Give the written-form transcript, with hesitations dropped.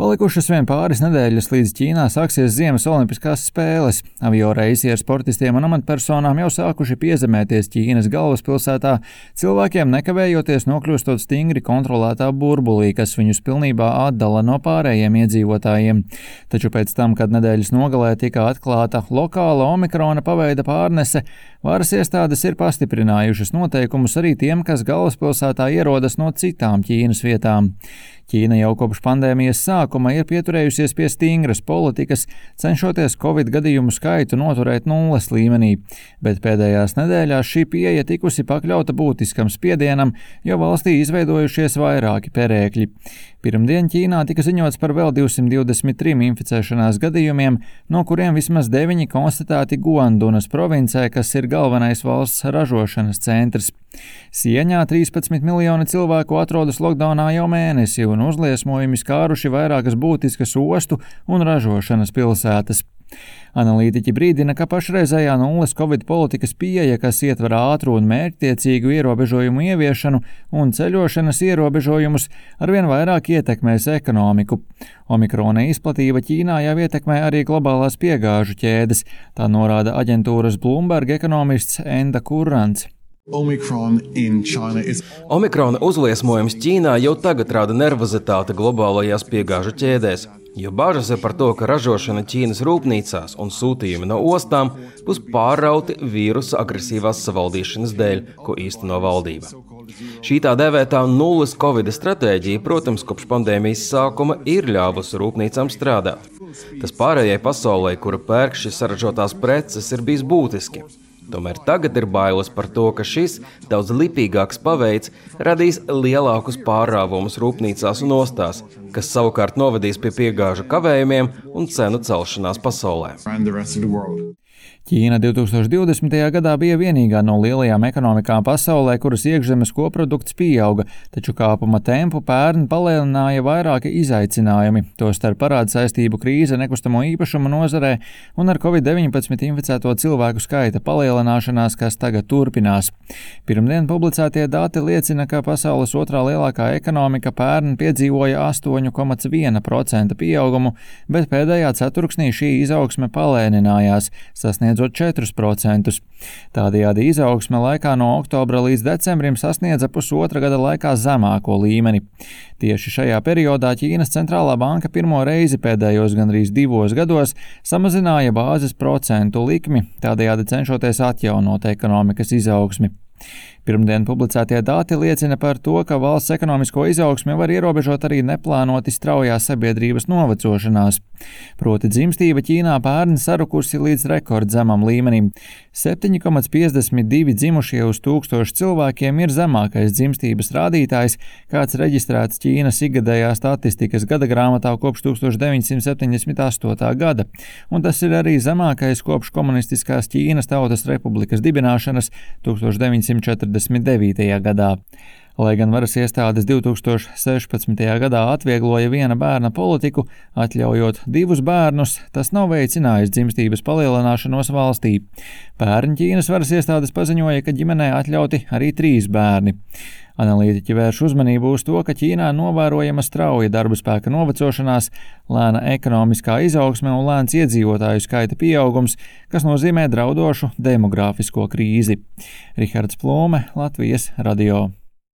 Palikušas vien pāris nedēļas līdz Ķīnā sāksies Ziemas olimpiskās spēles. Avio reisi ar sportistiem un amatpersonām jau sākuši piezemēties Ķīnas galvaspilsētā, cilvēkiem nekavējoties nokļūstot stingri kontrolētā burbulī, kas viņus pilnībā atdala no pārējiem iedzīvotājiem. Taču pēc tam, kad nedēļas nogalē tika atklāta lokāla omikrona paveida pārnese, varas iestādes ir pastiprinājušas noteikumus arī tiem, kas galvaspilsētā ierodas no citām Ķīnas vietām. Ķīna jau kopš pandēmijas sākuma ir pieturējusies pie stingras politikas, cenšoties Covid gadījumu skaitu noturēt nulles līmenī, bet pēdējās nedēļās šī pieeja tikusi pakļauta būtiskam spiedienam, jo valstī izveidojušies vairāki perēkļi. Pirmdien Ķīnā tika ziņots par vēl 223 inficēšanās gadījumiem, no kuriem vismaz 9 konstatēti Guandunas provincē, kas ir galvenais valsts ražošanas centrs. Sieņā 13 miljoni cilvēku atrodas lockdownā jau mēnesi, un uzliesmojumi skāruši vairākas būtiskas ostu un ražošanas pilsētas. Analītiķi brīdina, ka pašreizējā nulles Covid politikas pieeja, kas ietver ātru un mērķtiecīgu ierobežojumu ieviešanu un ceļošanas ierobežojumus, arvien vairāk ietekmēs ekonomiku. Omikrona izplatība Ķīnā jau ietekmē arī globālās piegāžu ķēdes, tā norāda aģentūras Bloomberg ekonomists Enda Kurrants. Omikrona uzliesmojums Ķīnā jau tagad rada nervozitāti globālajās piegāžu ķēdēs, jo bažas ir par to, ka ražošana Ķīnas rūpnīcās un sūtījumi no ostām būs pārrauti vīrusa agresīvās savaldīšanas dēļ, ko īsteno valdība. Šī tā dēvētā nulles Covid stratēģija, protams, kopš pandēmijas sākuma ir ļāvusi rūpnīcām strādāt. Tas pārējai pasaulē, kura pērk šīs saražotās preces, ir bijis būtiski. Tomēr tagad ir bailes par to, ka šis daudz lipīgāks paveids radīs lielākus pārrāvumus rūpnīcās un ostās, kas savukārt novedīs pie piegāžu kavējumiem un cenu celšanās pasaulē. Ķīna 2020. gadā bija vienīgā no lielajām ekonomikām pasaulē, kuras iekšzemes koprodukts pieauga, taču kāpuma tempu pērn palielināja vairāki izaicinājumi, tostarp parāda saistību krīze nekustamo īpašumu nozarē un ar Covid-19 inficēto cilvēku skaita palielināšanās, kas tagad turpinās. Pirmdien publicētie dati liecina, ka pasaules otrā lielākā ekonomika pērn piedzīvoja 8,1% pieaugumu, bet pēdējā ceturksnī šī izaugsme palēninājās, sasniedzot 4%. Tādējādi izaugsme laikā no oktobra līdz decembrim sasniedza pusotra gada laikā zemāko līmeni. Tieši šajā periodā Ķīnas centrālā banka pirmo reizi pēdējos gandrīz 2 gados samazināja bāzes procentu likmi, tādējādi cenšoties atjaunot ekonomikas izaugsmi. Pirmdien publicētie dati liecina par to, ka valsts ekonomisko izaugsmi var ierobežot arī neplānoti straujā sabiedrības novecošanās. Proti dzimstība Ķīnā pērn sarukusi līdz rekordzemam līmenim. 7,52 dzimušie uz 1000 cilvēkiem ir zemākais dzimstības rādītājs, kāds reģistrēts Ķīnas ikgadējā statistikas gada grāmatā kopš 1978. gada, un tas ir arī zemākais kopš komunistiskās Ķīnas Tautas Republikas dibināšanas 1949. gadā. Lai gan varas iestādes 2016. gadā atviegloja viena bērna politiku, atļaujot 2 bērnus, tas nav veicinājis dzimstības palielināšanos valstī. Pērn Ķīnas varas iestādes paziņoja, ka ģimenē atļauti arī 3 bērni. Analītiķi vērš uzmanību uz to, ka Ķīnā novērojama strauja darba spēka novecošanās, lēna ekonomiskā izaugsme un lēns iedzīvotāju skaita pieaugums, kas nozīmē draudošu demogrāfisko krīzi. Rihards Plome, Latvijas radio.